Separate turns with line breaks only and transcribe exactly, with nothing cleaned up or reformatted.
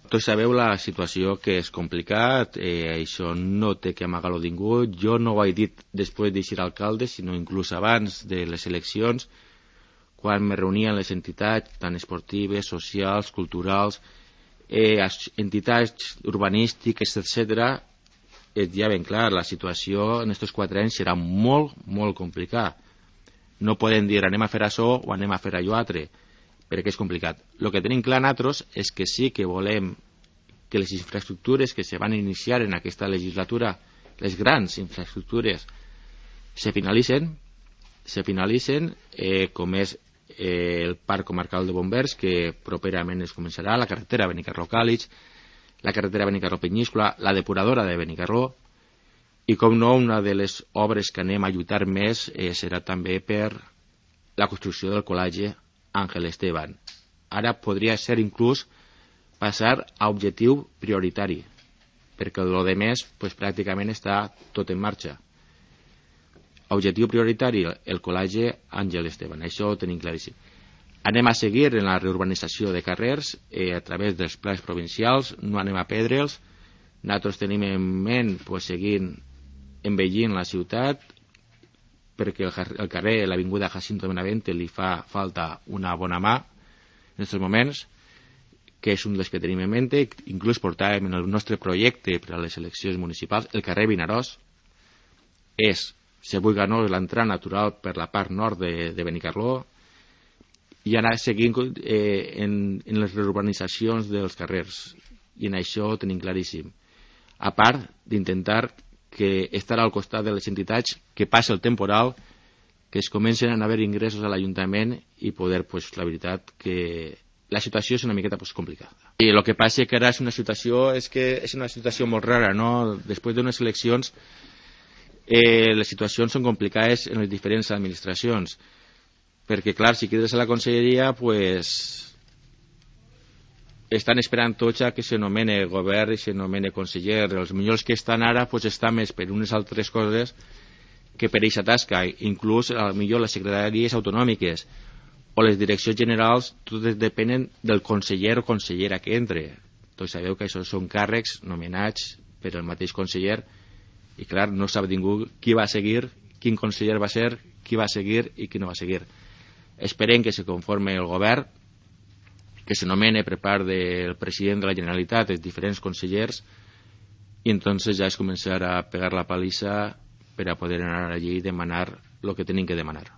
Tots sabeu la situació que és complicat, eh, això no té que amagar-ho ningú. Jo no ho he dit després de ser alcalde, sinó inclús abans de les eleccions, quan me reunien les entitats, tant esportives, socials, culturals, eh, entitats urbanístiques, etcètera. És ja ben clar, la situació en aquests quatre anys serà molt, molt complicada. No podem dir anem a fer això o anem a fer allò altre, perquè és complicat. El que tenim clar nosaltres és que sí que volem que les infraestructures que se van iniciar en aquesta legislatura, les grans infraestructures, se finalitzen, se finalitzen eh, com és eh, el Parc Comarcal de Bombers, que properament es començarà, la carretera Benicarló-Càlig, la carretera Benicarló-Penyíscola, la depuradora de Benicarló, i com no, una de les obres que anem a lluitar més eh, serà també per la construcció del col·legi Ángel Esteban. Ara podria ser inclús passar a objectiu prioritari, perquè el de més pues, pràcticament està tot en marxa. Objectiu prioritari, el col·legi Ángel Esteban, això ho tenim claríssim. Anem a seguir en la reurbanització de carrers eh, a través dels plans provincials, no anem a perdre'ls. Nosaltres tenim en ment pues, seguir envellint la ciutat, perquè el carrer, l'avinguda Jacinto Benavente, li fa falta una bona mà en aquests moments, que és un dels que tenim en mente. Inclús portàvem en el nostre projecte per a les eleccions municipals el carrer Vinaròs. És, se vulgui o no, l'entrada natural per la part nord de, de Benicarló, i anar seguint eh, en, en les reurbanitzacions dels carrers, i en això ho tenim claríssim, a part d'intentar que estarà al costat de les entitats que passa el temporal, que es comencen a haver ingressos a l'Ajuntament i poder, pues, la veritat que la situació és una miqueta pues, complicada. I el que passa que ara és una situació és que és una situació molt rara, no? Després d'unes eleccions eh, les situacions són complicades en les diferents administracions, perquè clar, si quedes a la conselleria pues, estan esperant tots a que s'anomene govern i s'anomene conseller. Els millors que estan ara pues, estan més per unes altres coses que per aquesta tasca. Inclús millor les secretaries autonòmiques o les direccions generals, totes depenen del conseller o consellera que entre. Tots sabeu que això són càrrecs nomenats per el mateix conseller i clar, no sap ningú qui va seguir, quin conseller va ser, qui va seguir i qui no va seguir. Esperem que se conforme el govern, que s'anomene per part del president de la Generalitat els diferents consellers, i entonces ja és començar a pegar la palissa per a poder anar allí i demanar el que tenim que demanar.